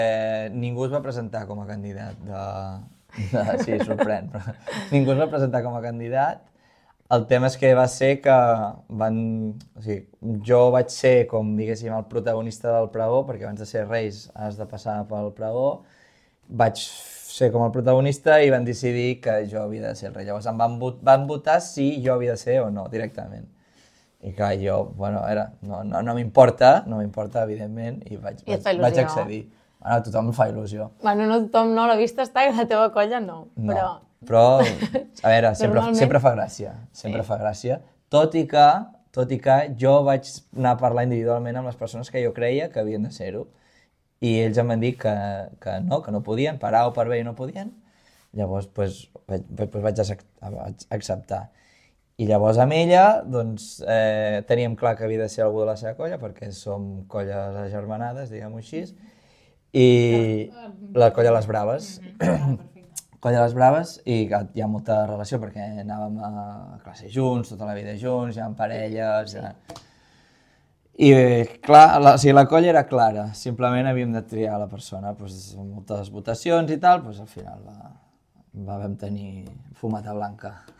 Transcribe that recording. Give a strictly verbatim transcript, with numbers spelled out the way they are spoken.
Eh, ningú es va presentar com a candidat de... de sí, sorprèn, però ningú es va presentar com a candidat. El tema és que va ser que van... O sigui, jo vaig ser, com diguéssim, el protagonista del pregó, perquè abans de ser reis has de passar pel pregó. Vaig ser com el protagonista i van decidir que jo havia de ser el rei. Llavors em van, vot van votar si jo havia de ser o no, directament. I clar, jo, bueno, era, no, no, no m'importa, no m'importa, evidentment, i vaig, I et vaig, fa il·lusió. vaig accedir. Bueno, a tothom em fa il·lusió. Bueno, no tothom no, la vista està i la teva colla no, No, però... però, a veure, sempre, Normalment- sempre fa gràcia, sempre fa gràcia, tot i que, tot i que jo vaig anar a parlar individualment amb les persones que jo creia que havien de ser-ho, i ells em van dir que, que no, que no podien, per A o per B i no podien, llavors pues, vaig, pues, vaig accept- vaig acceptar. I llavors amb ella doncs, eh, teníem clar que havia de ser algú de la seva colla, perquè som colles agermanades, diguem-ho així, i la colla Les Braves. Colla Les Braves, i que hi ha molta relació perquè anàvem a classe junts, tota la vida junts, hi ha parelles... Ja... I clar, la, o sigui, la colla era clara, simplement havíem de triar la persona, doncs, amb moltes votacions i tal, doncs, al final va, va vam tenir fumata blanca.